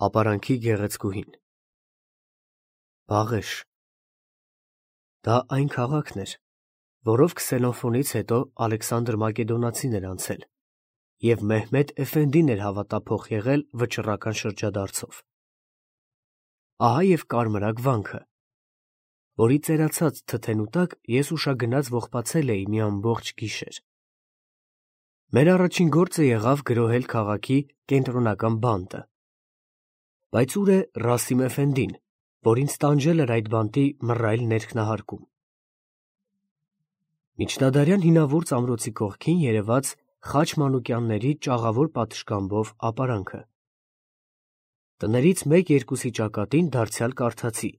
Ապարանքի գեղեցկուհին Բաղեշ Դա այն քաղաքն էր, որով Քսենոֆոնից հետո Ալեքսանդր Մակեդոնացին էր անցել և Մեհմեդ Էֆենդին էր հավատափոխ եղել վճռական շրջադարձով։ Ահա և կարմրակ վանքը, որի ծերացած թթենու տակ ես ուշագնաց ողբացել էի մի ամբողջ գիշեր։ Մեր առաջին գործը եղավ գրոհել քաղաքի կենտրոնական բանտը։ Բայց ուր է Ռասիմ Էֆենդին, որ ինձ տանջել էր այդ բանտի մռայլ ներքնահարկում։ Միջնադարյան հինավուրց ամրոցի կողքին երևաց Խաչ Մանուկյանների ճաղավոր պատշգամբով ապարանքը։ Տներից մեկ-երկուսի ճակատին դարձյալ կարդացի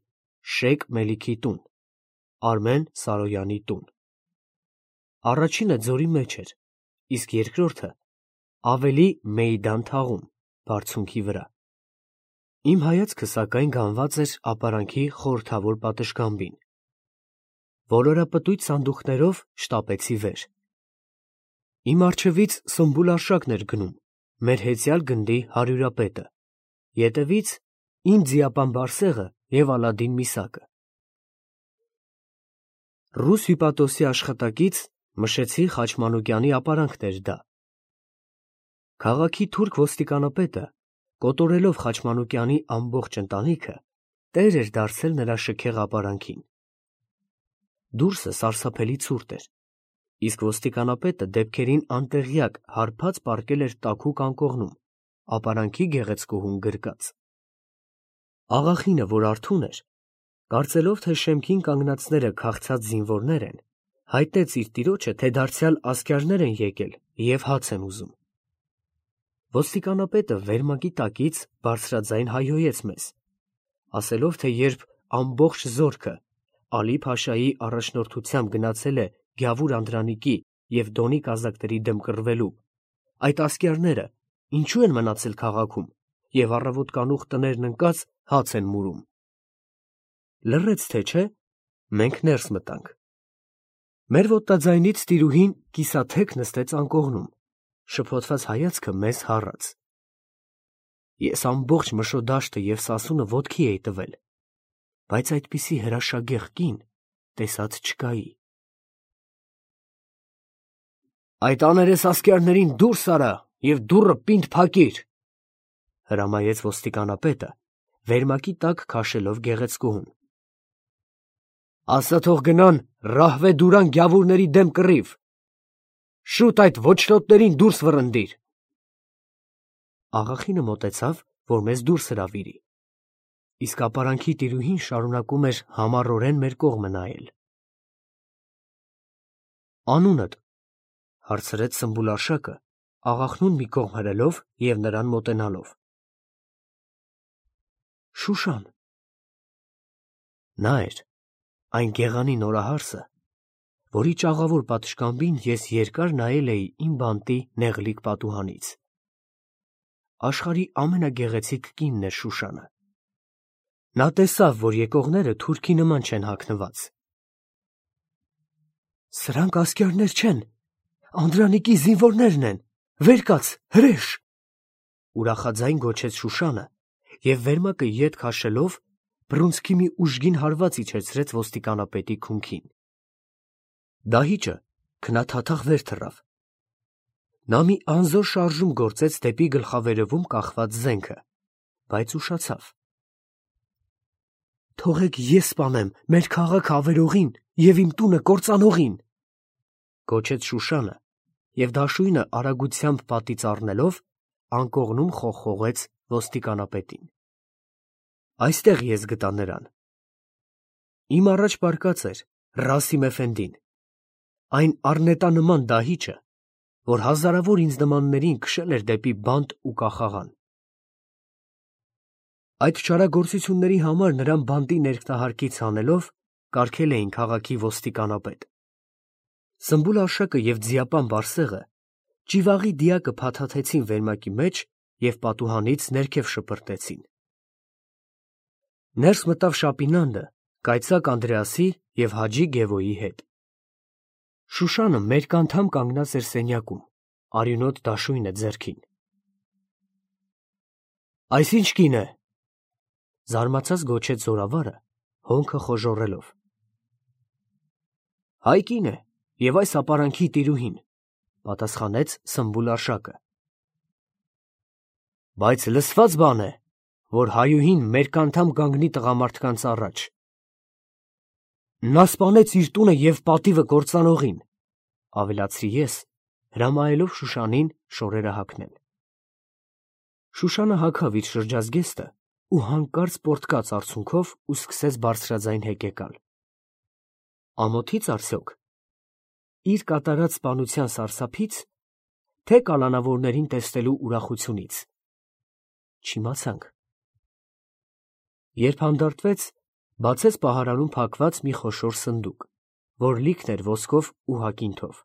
Շեյք Մելիքի տուն, Արմեն Սարոյանի տուն։ Առաջինը ձորի մեջ էր, իսկ երկրորդը ավելի Մեյդան թաղում, բարձունքի վրա։ Իմ հայացքը սակայն գանված էր ապարանքի խորհրդավոր պատշգամբին։ Ոլորապտույտ սանդուղքներով շտապեցի վեր։ Իմ առջևից Սմբուլ Արշակն էր գնում, մեր հեծյալ գնդի հարյուրապետը, ետևից իմ ձիապան Բարսեղը և Ալադին Միսակը։ Ռուս հյուպատոսի աշխատակից մշեցի Խաչ Մանուկյանի ապարանքն էր դա։ Քաղաքի թուրք ոստիկանապետը, կոտորելով Խաչ Մանուկյանի ամբողջ ընտանիքը, տեր էր դարձել նրա շքեղ ապարանքին։ Դուրսը սարսափելի ցուրտ էր, իսկ ոստիկանապետը դեպքերին անտեղյակ հարբած պառկել էր տաքուկ անկողնում, ապարանքի գեղեցկուհուն գրկած։ Աղախինը, որ արթուն էր, կարծելով, թե շեմքին կանգնածները քաղցած զինվորներ են, հայտնեց իր տիրոջը, թե դարձյալ ասկյարներ են եկել և հաց են ուզում։ Ոստիկանապետը վերմակի տակից բարձրաձայն հայհոյեց մեզ, ասելով, թե երբ ամբողջ զորքը Ալի-Փաշայի առաջնորդությամբ գնացել է Գյավուր Անդրանիկի և Դոնի կազակների դեմ կռվելու, այդ ասկյարները ինչու են մնացել քաղաքում և առավոտկանուխ տներն ընկած հաց են մուրում։ Լռեց, թե չէ, մենք ներս մտանք։ Մեր ոտնաձայնից տիրուհին կիսաթեք նստեց անկողնում, շփոթված հայացքը մեզ հառած։ Ես ամբողջ Մշոդաշտը և Սասունը ոտքի էի տվել, բայց այդպիսի հրաշագեղ կին տեսած չկայի։ «Այդ աներես ասկյարներին դուրս արա և դուռը պինդ փակիր», հրամայեց ոստիկանապետը, վերմակի տակ քաշելով գեղեցկուհուն։ «Ասա թող գնան Ռահվե֊Դուրան գյավուրների դեմ կռիվ։ Շուտ այդ ոչրոտներին դուրս վռնդիր»։ Աղախինը մոտեցավ, որ մեզ դուրս հրավիրի, իսկ ապարանքի տիրուհին շարունակում էր համառորեն մեր կողմը նայել։ «Անունդ», հարցրեց Սմբուլ Արշակը, աղախնուն մի կողմ հրելով և նրան մոտենալով։ «Շուշան»։ Նա էր այն գեղանի նորահարսը, որի ճաղավոր պատշգամբին ես երկար նայել էի իմ բանտի նեղլիկ պատուհանից։ Աշխարհի ամենագեղեցիկ կինն էր Շուշանը։ Նա տեսավ, որ եկողները թուրքի նման չեն հագնված։ «Սրանք ասկյարներ չեն, Անդրանիկի զինվորներն են, վեր կաց, հրեշ», ուրախաձայն գոչեց Շուշանը և վերմակը ետ քաշելով բռունցքի մի ուժգին հարված իջեցրեց ոստիկանապետի քունքին։ Դահիճը քնաթաթախ վեր թռավ։ Նա մի անզոր շարժում գործեց դեպի գլխավերևում կախված զենքը, բայց ուշացավ։ «Թողեք ես սպանեմ մեր քաղաքը ավերողին և իմ տունը կործանողին», գոչեց Շուշանը և դաշույնը արագությամբ պատից առնելով անկողնում խողխողեց ոստիկանապետին։ Այստեղ ես գտա նրան։ Իմ առաջ պառկած էր Ռասիմ Էֆենդին, այն առնետանման դահիճը, որ հազարավոր ինձ նմաններին քշել էր դեպի բանտ ու կախաղան։ Այդ չարագործությունների համար նրան բանտի ներքնահարկից հանելով կարգել էին քաղաքի ոստիկանապետ։ Սմբուլ Արշակը և ձիապան Բարսեղը ճիվաղի դիակը փաթաթեցին վերմակի մեջ և պատուհանից ներքև շպրտեցին։ Ներս մտավ Շապինանդը կայծակ Անդրեասի և Հաջի Գևոյի հետ։ Շուշանը մերկ անդամ կանգնած էր սենյակում, արյունոտ դաշույնը ձեռքին։ Այս ինչ կին է։ Զարմացած գոչեց զորավարը, հոնքը խոժոռելով։ Հայ կին է և այս ապարանքի տիրուհին, պատասխանեց Սմբուլ Արշակը։ Բայց լսված բան է, որ հայուհին մերկանդամ կանգնի տղամարդկանց առաջ։ Նա սպանեց իր տունը և պատիվը կործանողին, ավելացրի ես, հրամայելով Շուշանին շորերը հագնել։ Շուշանը հագավ իր շրջազգեստը ու հանկարծ պոռթկաց արցունքով ու սկսեց բարձրաձայն հեկեկալ։ Ամոթից արդյոք, իր կատարած սպանության սարսափից, թե կալանավորներին տեսնելու ուրախությունից։ Չիմացանք։ Երբ հանդարտվեց, բացեց պահարանում փակված մի խոշոր սնդուկ, որ լիքն էր ոսկով ու հակինթով։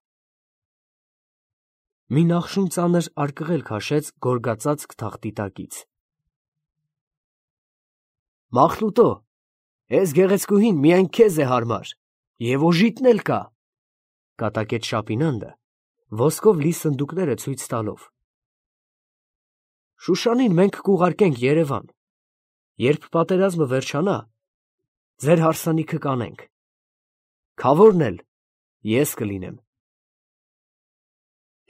Մի նախշուն ծանր արկղել քաշեց գորգածածկ թախտի տակից։ Մախլուտո, էս գեղեցկուհին միայն քեզ է հարմար, և օժիտն էլ կա, կատակեց Շապինանդը, ոսկով լի սնդուկները ցույց տալով։ Շուշանին մենք կուղարկենք Երևան, երբ պատերազմը վերջանա, ձեր հարսանիքը կանենք, քավորն էլ ես կլինեմ։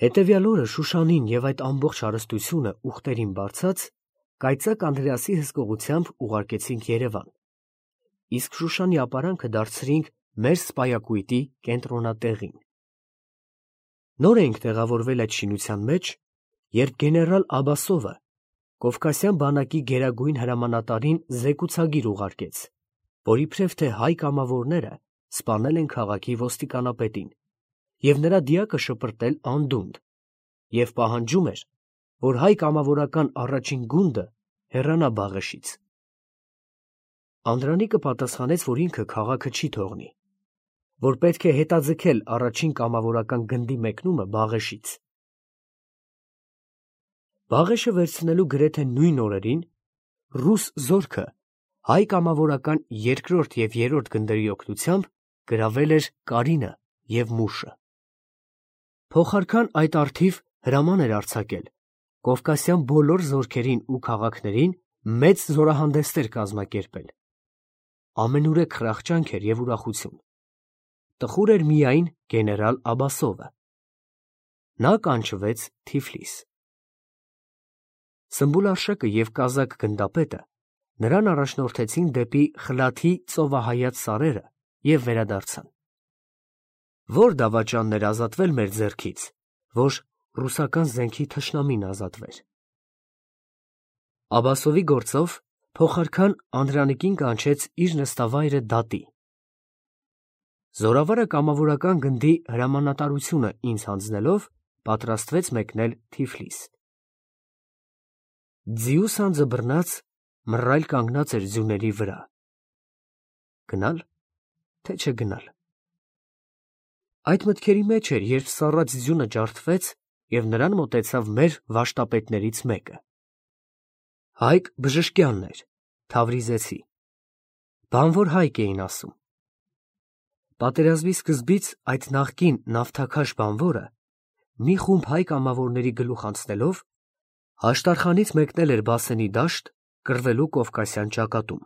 Հետևյալ օրը Շուշանին և այդ ամբողջ հարստությունը ուղտերին բարձած, կայծակ Անդրեասի հսկողությամբ ուղարկեցինք Երևան, իսկ Շուշանի ապարանքը դարձրինք մեր սպայակույտի կենտրոնատեղին։ Նոր էինք տեղավորվել այդ շինության մեջ, երբ գեներալ Աբասովը Կովկասյան բանակի գերագույն հրամանատարին զեկուցագիր ուղարկեց, որ իբրև թե հայ կամավորները սպանել են քաղաքի ոստիկանապետին և նրա դիակը շպրտել անդունդը, և պահանջում էր, որ հայ կամավորական առաջին գունդը հեռանա Բաղեշից։ Անդրանիկը պատասխանեց, որ ինքը քաղաքը չի թողնի, որ պետք է հետաձգել առաջին կամավորական գնդի մեկնումը Բաղեշից։ Բաղեշը վերցնելու գրեթե նույն օրերին ռուս զորքը հայ կամավորական երկրորդ և երրորդ գնդերի օգնությամբ գրավել էր Կարինը և Մուշը։ Փոխարքան այդ առթիվ հրաման էր արձակել Կովկասյան բոլոր զորքերին ու քաղաքներին մեծ զորահանդեսներ կազմակերպել։ Ամենուրեք խրախճանք էր և ուրախություն։ Տխուր էր միայն գեներալ Աբասովը։ Նա կանչվեց Թիֆլիս։ Սմբուլ Արշակը և կազակ գնդապետը նրան առաջնորդեցին դեպի Խլաթի ծովահայաց սարերը և վերադարձան։ Որ դավաճանն էր ազատվել մեր ձեռքից, որ ռուսական զենքի թշնամին ազատվեր։ Աբասովի գործով փոխարքան Անդրանիկին կանչեց իր նստավայրը դատի։ Զորավարը կամավորական գնդի հրամանատարությունը ինձ հանձնելով, պատրաստվեց մեկնել Թիֆլիս։ Ձիու սանձը բռնած, մռայլ կանգնած էր ձյուների վրա։ Գնալ, թե չգնալ։ Այդ մտքերի մեջ էր, երբ սառած ձյունը ջարդվեց և նրան մոտեցավ մեր վաշտապետներից մեկը։ Հայկ Բժշկյանն էր, թավրիզեցի։ Բանվոր հայկ էին ասում։ Պատերազմի սկզբից այդ նախկին նավթաքաշ բանվորը մի խումբ հայ կամավորների գլուխ անցնելով Հաշտարխանից մեկնել էր Բասենի դաշտ կռվելու Կովկասյան ճակատում։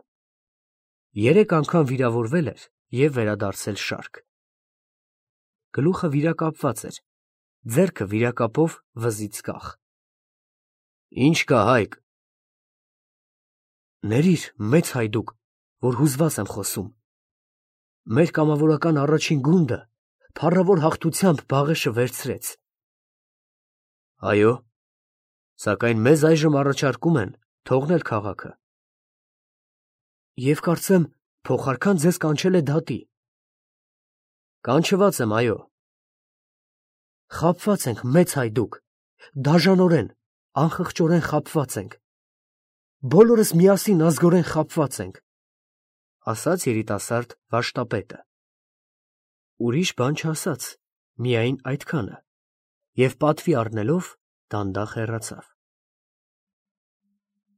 3 անգամ վիրավորվել էր և վերադարձել շարք։ Գլուխը վիրակապված էր, ձեռքը վիրակապով վզից կախ։ Ինչ կա, Հայկ։ Ներիր, մեծ հայդուկ, որ հուզված եմ խոսում։ Մեր կամավորական առաջին գունդը փառավոր հաղթությամբ Բաղեշը վերցրեց։ Այո, սակայն մեզ այժմ առաջարկում են թողնել քաղաքը։ Եվ կարծեմ, փոխարքան ձեզ կանչել է դատի։ Կանչված եմ, այո։ Խաբված ենք, մեծ հայդուկ, դաժանորեն, անխղճորեն խաբված ենք։ Բոլորս միասին ազգորեն խաբված ենք, ասաց երիտասարդ վաշտապետը։ Ուրիշ բան չասաց, միայն այդքանը, և պատվի առնելով դանդաղ հեռացավ։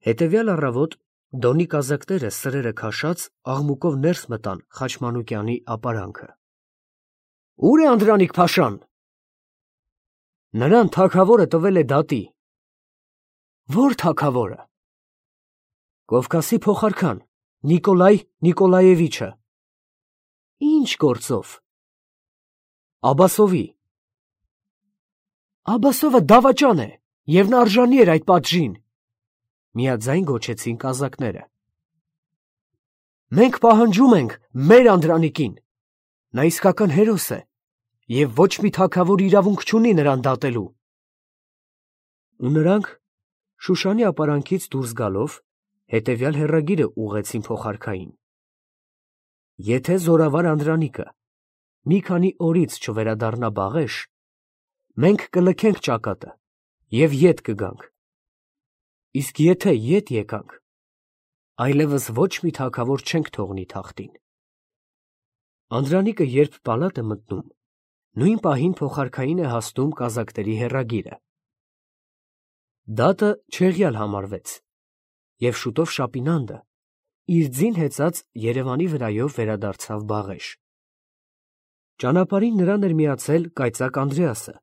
Հետևյալ առավոտ Դոնի կազակները սրերը քաշած աղմուկով ներս մտան Խաչմանուկյանի ապարանքը։ Ո՞ւր է Անդրանիկ Փաշան։ Նրան թագավորը տվել է դատի։ Ո՞ր թագավորը։ Կովկասի փոխարքան, Նիկոլայ Նիկոլաևիչը։ Ինչ գործով։ Աբասովի։ Աբասովը դավաճան է, և նա արժանի էր այդ պատժին, միաձայն գոչեցին կազակները։ Մենք պահանջում ենք մեր Անդրանիկին, նա իսկական հերոս է, և ոչ մի թագավոր իրավունք չունի նրան դատելու։ Ու նրանք, Շուշանի ապարանքից դուրս գալով, հետևյալ հեռագիրը ուղղեցին փոխարքային. Եթե զորավար Անդրանիկը մի քանի օրից չվերադառնա Բաղեշ, մենք կլքենք ճակատը և ետ կգանք, իսկ եթե ետ եկանք, այլևս ոչ մի թագավոր չենք թողնի թախտին։ Անդրանիկը երբ պալատ է մտնում, նույն պահին փոխարքային է հասնում կազակների հեռագիրը։ Դատը չեղյալ համարվեց, և շուտով Շապինանդը իր ձին հեծած Երևանի վրայով վերադարձավ Բաղեշ։ Ճանապարհին նրան էր միացել կայծակ Անդրեասը,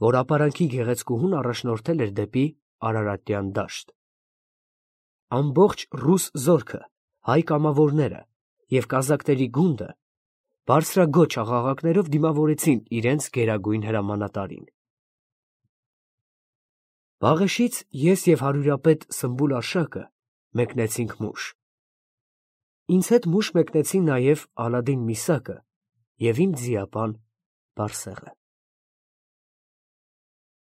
որ ապարանքի գեղեցկուհուն առաջնորդել էր դեպի Արարատյան դաշտ։ Ամբողջ ռուս զորքը, հայ կամավորները և կազակների գունդը բարձրագոչ աղաղակներով դիմավորեցին իրենց գերագույն հրամանատարին։ Բաղեշից ես և հարյուրապետ Սմբուլ Արշակը մեկնեցինք Մուշ։ Ինձ հետ Մուշ մեկնեցին նաև Ալադին Միսակը և իմ ձիապան Բարսեղը։